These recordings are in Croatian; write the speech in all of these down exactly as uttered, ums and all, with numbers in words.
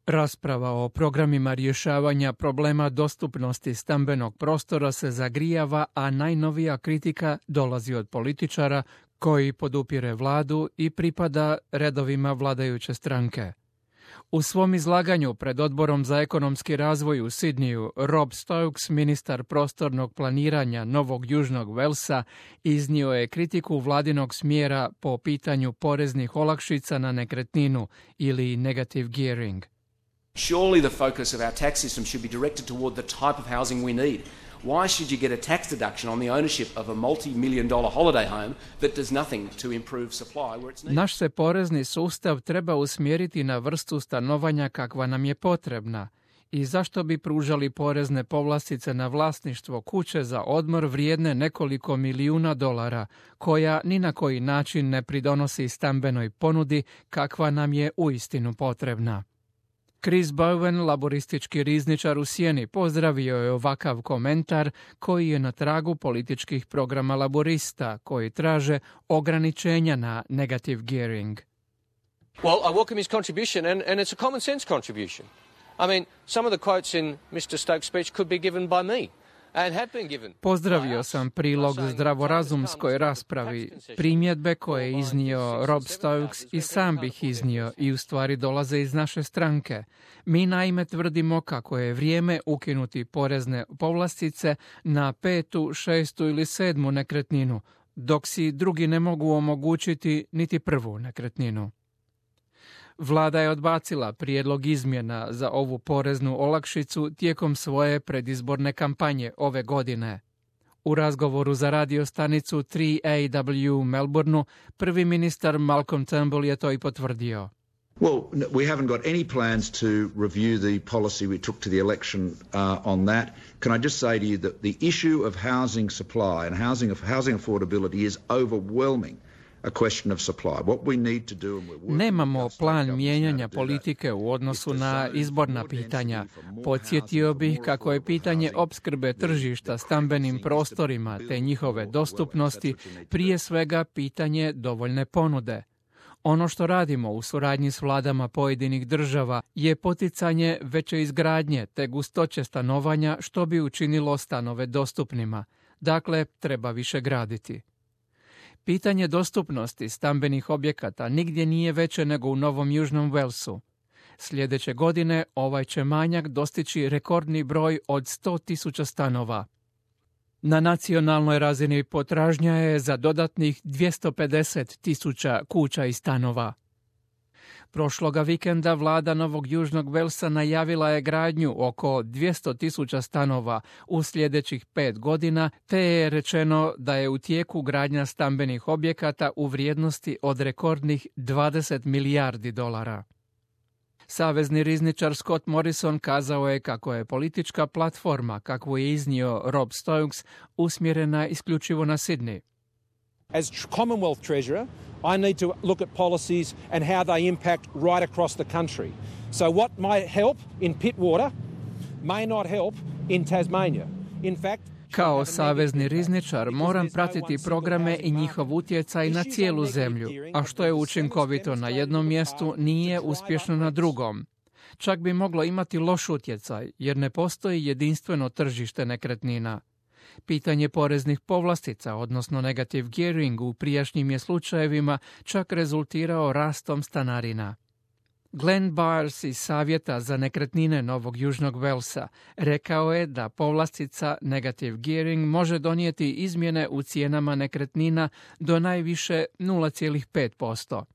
Rasprava o programima rješavanja problema dostupnosti stambenog prostora se zagrijava, a najnovija kritika dolazi od političara koji podupire vladu i pripada redovima vladajuće stranke. U svom izlaganju pred Odborom za ekonomski razvoj u Sidniju, Rob Stokes, ministar prostornog planiranja Novog Južnog Velsa, iznio je kritiku vladinog smjera po pitanju poreznih olakšica na nekretninu ili negative gearing. Surely the focus of our tax system should be directed toward the type of housing we need. Why should you get a tax deduction on the ownership of a multi-million dollar holiday home that does nothing to improve supply where it's needed? Naš se porezni sustav treba usmjeriti na vrstu stanovanja kakva nam je potrebna. I zašto bi pružali porezne povlastice na vlasništvo kuće za odmor vrijedne nekoliko milijuna dolara, koja ni na koji način ne pridonosi stambenoj ponudi kakva nam je uistinu potrebna. Chris Bowen, laboristički rizničar u Sjeni, pozdravio je ovakav komentar koji je na tragu političkih programa laborista koji traže ograničenja na negative gearing. Well, I welcome his contribution and, and it's a common sense contribution. I mean, some of the quotes in mister Stokes' speech could be given by me. Pozdravio sam prilog zdravorazumskoj raspravi. Primjedbe koje je iznio Rob Stokes i sam bih iznio i u stvari dolaze iz naše stranke. Mi naime tvrdimo kako je vrijeme ukinuti porezne povlastice na petu, šestu ili sedmu nekretninu, dok si drugi ne mogu omogućiti niti prvu nekretninu. Vlada je odbacila prijedlog izmjena za ovu poreznu olakšicu tijekom svoje predizborne kampanje ove godine. U razgovoru za radio stanicu tri A W u Melbourneu prvi ministar Malcolm Turnbull je to i potvrdio. Well, we haven't got any plans to review the policy we took to the election uh, on that. Can I just say to you that the issue of housing supply and housing housing affordability is overwhelming. Nemamo plan mijenjanja politike u odnosu na izborna pitanja. Podsjetio bih kako je pitanje opskrbe tržišta stambenim prostorima te njihove dostupnosti prije svega pitanje dovoljne ponude. Ono što radimo u suradnji s vladama pojedinih država je poticanje veće izgradnje te gustoće stanovanja što bi učinilo stanove dostupnima. Dakle, treba više graditi. Pitanje dostupnosti stambenih objekata nigdje nije veće nego u Novom Južnom Velsu. Sljedeće godine ovaj će manjak dostići rekordni broj od sto tisuća stanova. Na nacionalnoj razini potražnja je za dodatnih dvjesto pedeset tisuća kuća i stanova. Prošloga vikenda vlada Novog Južnog Velsa najavila je gradnju oko dvjesto tisuća stanova u sljedećih pet godina, te je rečeno da je u tijeku gradnja stambenih objekata u vrijednosti od rekordnih dvadeset milijardi dolara. Savezni rizničar Scott Morrison kazao je kako je politička platforma, kakvu je iznio Rob Stokes, usmjerena isključivo na Sydney. As Commonwealth Treasurer, I need to look at policies and how they impact right across the country. So what might help in Pittwater may not help in Tasmania. In fact, kao savezni rizničar moram pratiti programe i njihov utjecaj na cijelu zemlju, a što je učinkovito na jednom mjestu nije uspješno na drugom. Čak bi moglo imati loš utjecaj, jer ne postoji jedinstveno tržište nekretnina. Pitanje poreznih povlastica, odnosno negative gearing u prijašnjim je slučajevima čak rezultirao rastom stanarina. Glenn Byers iz Savjeta za nekretnine Novog Južnog Velsa rekao je da povlastica negative gearing može donijeti izmjene u cijenama nekretnina do najviše nula zarez pet posto.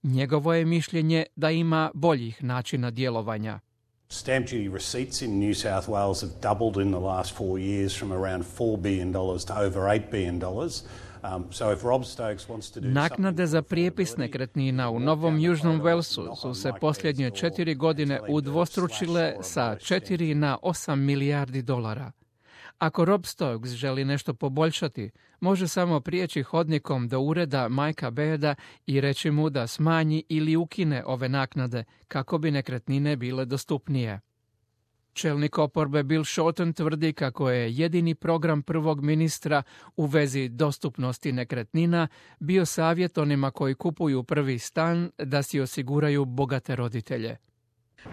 Njegovo je mišljenje da ima boljih načina djelovanja. Stamp duty receipts in New South Wales have doubled in the last four years from around four billion dollars to over eight billion dollars. Um, so if Rob Stokes wants to do Naknade za prijepis nekretnina u Novom Južnom Velsu su se posljednje četiri godine udvostručile sa četiri na osam milijardi dolara. Ako Rob Stokes želi nešto poboljšati, može samo prijeći hodnikom do ureda Mikea Bearda i reći mu da smanji ili ukine ove naknade kako bi nekretnine bile dostupnije. Čelnik oporbe Bill Shorten tvrdi kako je jedini program prvog ministra u vezi dostupnosti nekretnina bio savjet onima koji kupuju prvi stan da si osiguraju bogate roditelje.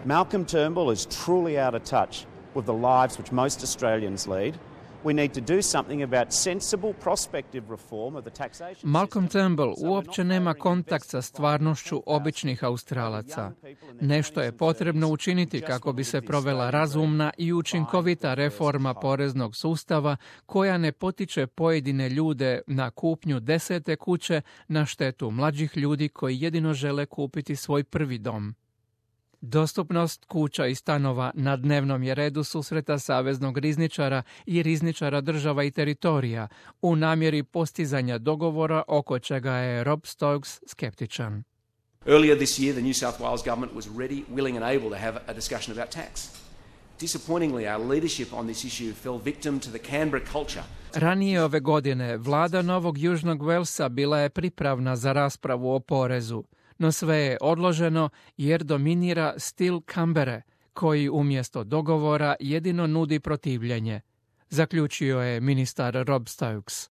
Malcolm Turnbull is truly out of touch with the lives which most Australians lead. We need to do something about sensible prospective reform of the taxation system. Malcolm Turnbull uopće nema kontakt sa stvarnošću običnih Australaca. Nešto je potrebno učiniti kako bi se provela razumna i učinkovita reforma poreznog sustava koja ne potiče pojedine ljude na kupnju desete kuće na štetu mlađih ljudi koji jedino žele kupiti svoj prvi dom. Dostupnost kuća i stanova na dnevnom je redu susreta saveznog rizničara i rizničara država i teritorija u namjeri postizanja dogovora oko čega je Rob Stokes skeptičan. Earlier this year, the New South Wales government was ready, willing and able to have a discussion about tax. Disappointingly, our leadership on this issue fell victim to the Canberra culture. Ranije ove godine vlada Novog Južnog Walesa bila je pripravna za raspravu o porezu, no sve je odloženo jer dominira stil Canberre, koji umjesto dogovora jedino nudi protivljenje, zaključio je ministar Rob Stokes.